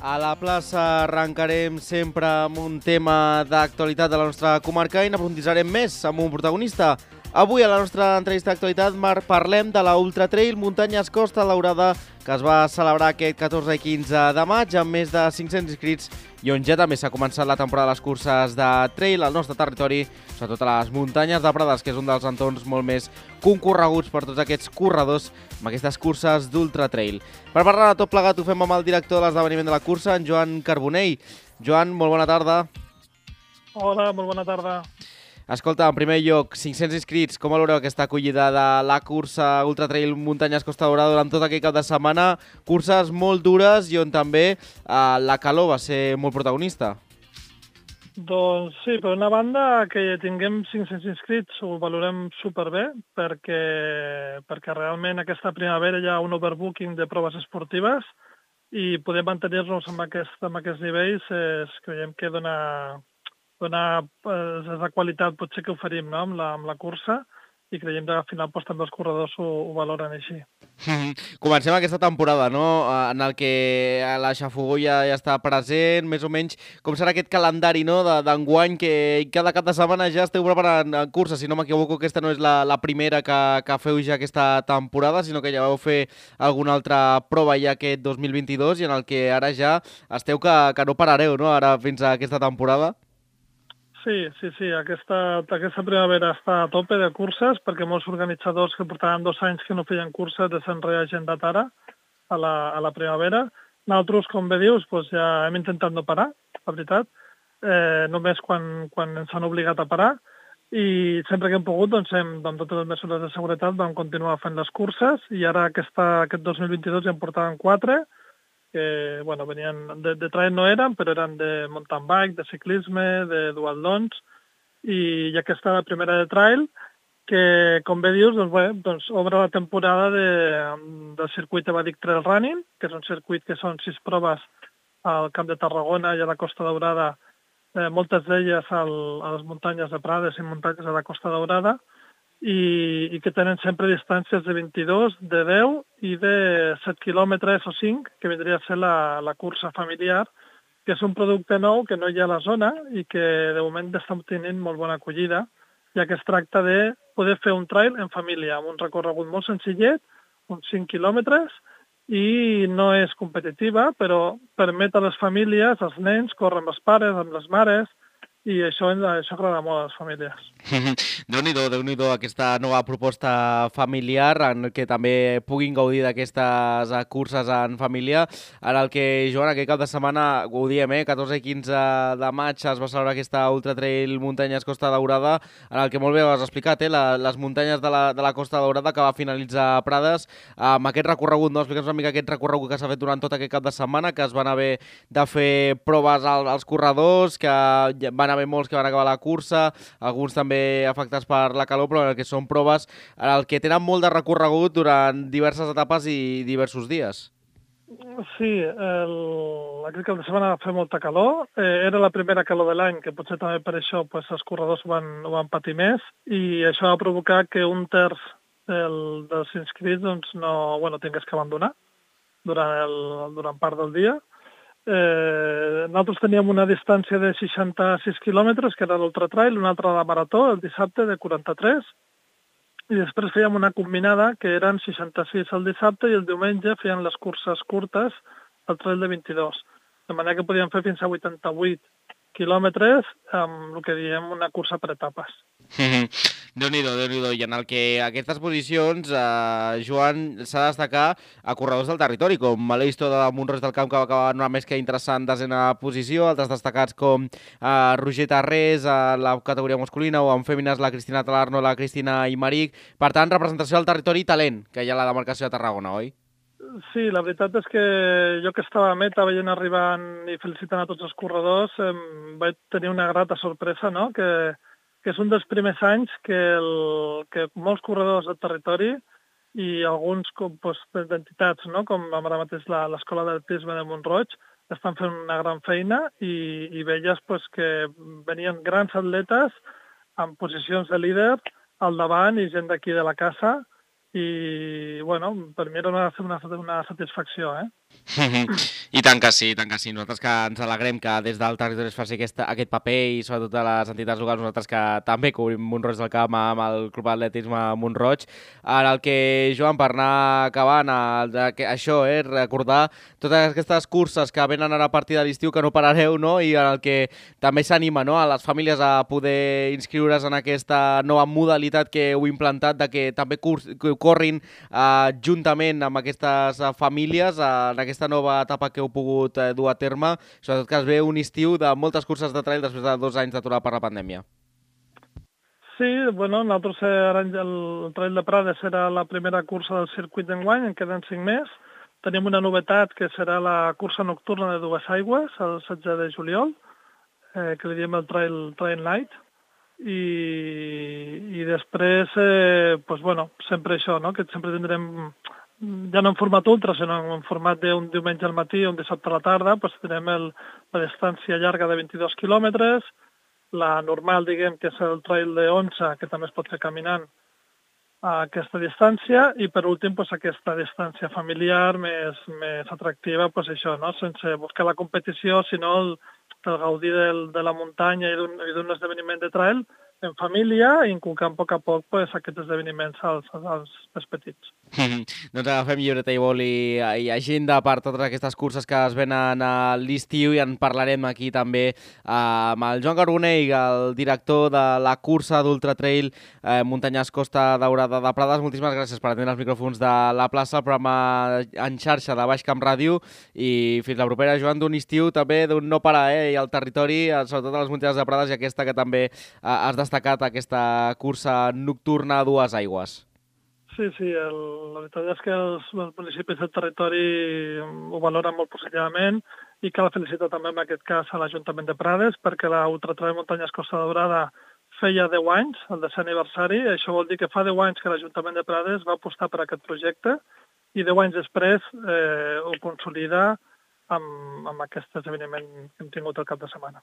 A la plaça arrencarem sempre amb un tema d'actualitat de la nostra comarca i n'aprofunditzarem més amb un protagonista. Avui a la nostra entrevista d'actualitat parlem de la Ultra Trail Muntanyes Costa Daurada que es va celebrar aquest 14 i 15 de maig amb més de 500 inscrits i on ja també s'ha començat la temporada de les curses de trail al nostre territori, sobretot a les muntanyes de Prades, que és un dels entorns molt més concorreguts per tots aquests corredors amb aquestes curses d'Ultra Trail. Per parlar de tot plegat ho fem amb el director de l'esdeveniment de la cursa, en Joan Carbonell. Joan, molt bona tarda. Hola, molt bona tarda. Escolta, en primer lloc, 500 inscrits, com valoreu aquesta acollida de la cursa Ultra Trail Muntanyes Costa Daurada durant tot aquest cap de setmana? Curses molt dures i on també la calor va ser molt protagonista. Doncs sí, per una banda, que tinguem 500 inscrits ho valorem superbé perquè realment aquesta primavera hi ha un overbooking de proves esportives i poder mantenir-nos amb aquests nivells creiem que dona la qualitat potser que oferim, no? amb la cursa i creiem que al final també els corredors ho valoren així. Comencem aquesta temporada, no? En el que la xafogó ja està present, més o menys. Com serà aquest calendari, no? d'enguany, que cada cap de setmana ja esteu preparant curses? Si no m'equivoco, aquesta no és la primera que feu ja aquesta temporada, sinó que ja vau fer alguna altra prova ja aquest 2022 i en el que ara ja esteu que no parareu, no? Ara fins a aquesta temporada. Sí. Aquesta primavera està a tope de curses perquè molts organitzadors que portaven 2 anys que no feien curses s'han reagendat ara a la primavera. Nosaltres, com bé dius, doncs ja hem intentat no parar, la veritat, només quan ens han obligat a parar i sempre que hem pogut, doncs amb totes les mesures de seguretat vam continuar fent les curses i ara aquest 2022 ja en portaven 4 que venien de trail no eren, però eren de mountain bike, de ciclisme, de duatlons, i aquesta la primera de trail, que, com bé dius, doncs obre la temporada del circuit Evadic Trail Running, que és un circuit que són 6 proves al Camp de Tarragona i a la Costa Daurada, moltes d'elles a les muntanyes de Prades i muntanyes de la Costa Daurada, i que tenen sempre distàncies de 22, de 10 i de 7 quilòmetres o 5, que vindria a ser la cursa familiar, que és un producte nou que no hi ha a la zona i que de moment està tenint molt bona acollida, ja que es tracta de poder fer un trail en família, amb un recorregut molt senzillet, uns 5 quilòmetres, i no és competitiva, però permet a les famílies, als nens, córrer amb els pares, amb les mares, i això agrada molt a les famílies. Déu-n'hi-do, aquesta nova proposta familiar en què també puguin gaudir d'aquestes curses en família, en el que, Joan, aquest cap de setmana, ho diem, 14 i 15 de maig es va celebrar aquesta Ultra Trail Muntanyes Costa Daurada, en el que molt bé ho has explicat, les muntanyes de la Costa Daurada que va finalitzar a Prades, amb aquest recorregut, no? Explica'ns una mica aquest recorregut que s'ha fet durant tot aquest cap de setmana, que es van haver de fer proves als corredors, que van haver molts que van acabar la cursa, alguns també afectats per la calor, però en el que són proves en el que tenen molt de recorregut durant diverses etapes i diversos dies. Sí, aquest cap de setmana va fer molta calor. Era la primera calor de l'any, que potser també per això els corredors ho van patir més, i això va provocar que un terç dels inscrits no tingués que abandonar durant part del dia. Nosaltres teníem una distància de 66 quilòmetres, que era l'Ultra Trail, una altra de marató, el dissabte, de 43, i després fèiem una combinada, que eren 66 el dissabte, i el diumenge feien les curses curtes, el trail de 22. De manera que podíem fer fins a 88 quilòmetres amb el que diem una cursa per etapes. Déu-n'hi-do. I en el que aquestes posicions, Joan, s'ha de destacar a corredors del territori, com Aleix de Mont-roig del Camp, que va acabar una més que interessant desena posició, altres destacats com Roger Tarrés a la categoria masculina, o en fèmines la Cristina Talarno, la Cristina Imaric. Per tant, representació del territori i talent, que hi ha a la demarcació de Tarragona, oi? Sí, la veritat és que jo que estava a meta veient arribant i felicitant a tots els corredors, vaig tenir una grata sorpresa, no?, que és un dels primers anys que molts corredors del territori i alguns d'entitats, no?, com ara mateix l'Escola d'Atletisme de Mont-roig, estan fent una gran feina i veies que venien grans atletes en posicions de líder al davant i gent d'aquí de la casa, i per mi era una satisfacció, I tant que sí, i tant que sí. Nosaltres que ens alegrem que des del territori es faci aquest paper i sobretot a les entitats locals, nosaltres que també cobrim Mont-roig del Camp amb el Club Atletisme Mont-roig, en el que, Joan, per anar acabant, això, recordar totes aquestes curses que venen ara a partir de l'estiu que no parareu, no? I en el que també s'anima, no?, a les famílies a poder inscriure's en aquesta nova modalitat que heu implantat, de que també corrin juntament amb aquestes famílies en aquesta nova etapa que heu pogut dur a terme, sobretot que es ve un estiu de moltes curses de trail després de 2 anys d'aturada per la pandèmia. Sí, bueno, nosaltres ara el Trail de Prades serà la primera cursa del circuit d'enguany, en queden 5 més. Tenim una novetat que serà la cursa nocturna de Dues Aigües, el 16 de juliol, que li diem el Trail Night. I després, pues bueno, sempre això, no?, que sempre tindrem, ja no en format ultra, sinó en format d'un diumenge al matí o un dissabte a la tarda, pues tindrem la distància llarga de 22 quilòmetres, la normal, diguem, que és el trail de 11, que també es pot fer caminant a aquesta distància, i per últim, pues, aquesta distància familiar més atractiva, pues, això, no?, sense buscar la competició, sinó el gaudir de la muntanya i d'un esdeveniment de trail en família, i inculcant a poc pues, aquests esdeveniments als més petits. Doncs agafem llibreta i boli i agenda per totes aquestes curses que es venen a l'estiu, i en parlarem aquí també amb el Joan Carbonell, el director de la cursa d'Ultra Trail Muntanyes Costa Daurada de Prades. Moltíssimes gràcies per atendre els micròfons de la plaça, el programa en xarxa de Baix Camp Ràdio, i fins la propera, Joan, d'un estiu també d'un no parar, i al territori, sobretot a les muntanyes de Prades, i aquesta que també has destacat, aquesta cursa nocturna a Dues Aigües. Sí, la veritat és que els municipis del territori ho valoren molt positivament, i cal felicitar també en aquest cas a l'Ajuntament de Prades, perquè la Ultratrail Muntanyes Costa Daurada feia 10 anys, el 10è aniversari. Això vol dir que fa 10 anys que l'Ajuntament de Prades va apostar per aquest projecte, i 10 anys després ho consolida amb aquest esdeveniment que hem tingut el cap de setmana.